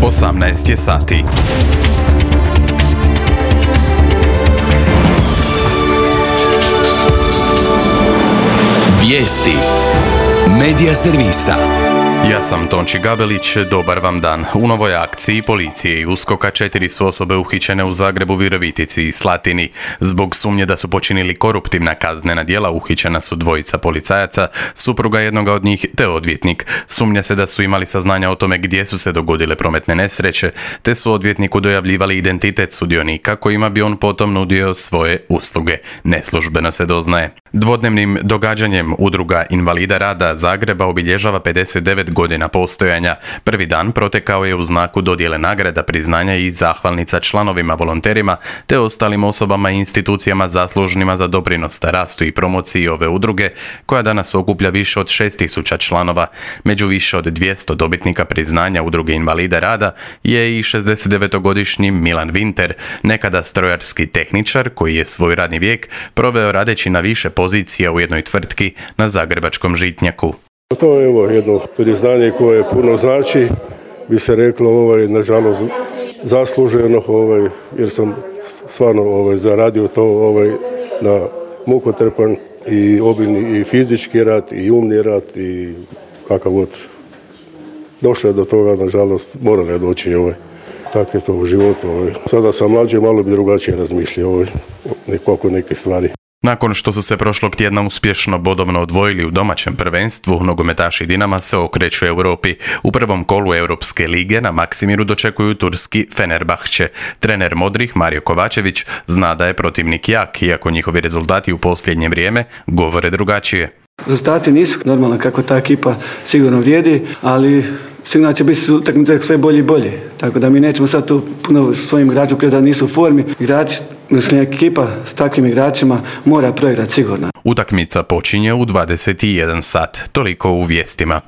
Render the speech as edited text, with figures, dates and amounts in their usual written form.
18 je sati. Vijesti Medija servisa. Ja sam Tonči Gabelić, dobar vam dan. U novoj akciji policije i USKOK-a 4 su osobe uhićene u Zagrebu, Virovitici i Slatini. Zbog sumnje da su počinili koruptivna kaznena djela uhićena su 2 policajaca, supruga jednoga od njih te odvjetnik. Sumnja se da su imali saznanja o tome gdje su se dogodile prometne nesreće, te su odvjetniku dojavljivali identitet sudionika kojima bi on potom nudio svoje usluge. Neslužbeno se doznaje. Dvodnevnim događanjem Udruga invalida rada Zagreba obilježava 59 godina postojanja. Prvi dan protekao je u znaku dodjele nagrada, priznanja i zahvalnica članovima, volonterima te ostalim osobama i institucijama zaslužnima za doprinos rastu i promociji ove udruge, koja danas okuplja više od 6000 članova. Među više od 200 dobitnika priznanja Udruge invalida rada je i 69-godišnji Milan Vinter, nekada strojarski tehničar koji je svoj radni vijek proveo radeći na više pozicija u jednoj tvrtki na zagrebačkom Žitnjaku. To je jedno priznanje koje puno znači, bi se reklo, nažalost zasluženo, jer sam stvarno zaradio to na mukotrpan i obilni i fizički rad i umni rad i kakav god. Došlo je do toga, nažalost, moralo je doći tako je to u životu. Sada sam mlađi, malo bi drugačije razmišljao oko neke stvari. Nakon što su se prošlog tjedna uspješno bodovno odvojili u domaćem prvenstvu, nogometaši Dinama se okreću Europi. U prvom kolu Europske lige na Maksimiru dočekuju turski Fenerbahče. Trener modrih Mario Kovačević zna da je protivnik jak, iako njihovi rezultati u posljednje vrijeme govore drugačije. Rezultati nisu normalno kako ta ekipa sigurno vrijedi, ali sigurno će biti utakmice sve bolje i bolje. Tako da mi nećemo sad tu puno svojim igračima da nisu u formi. Igrači, mislim, ekipa s takvim igračima mora proigrati sigurno. Utakmica počinje u 21 sat. Toliko u vijestima.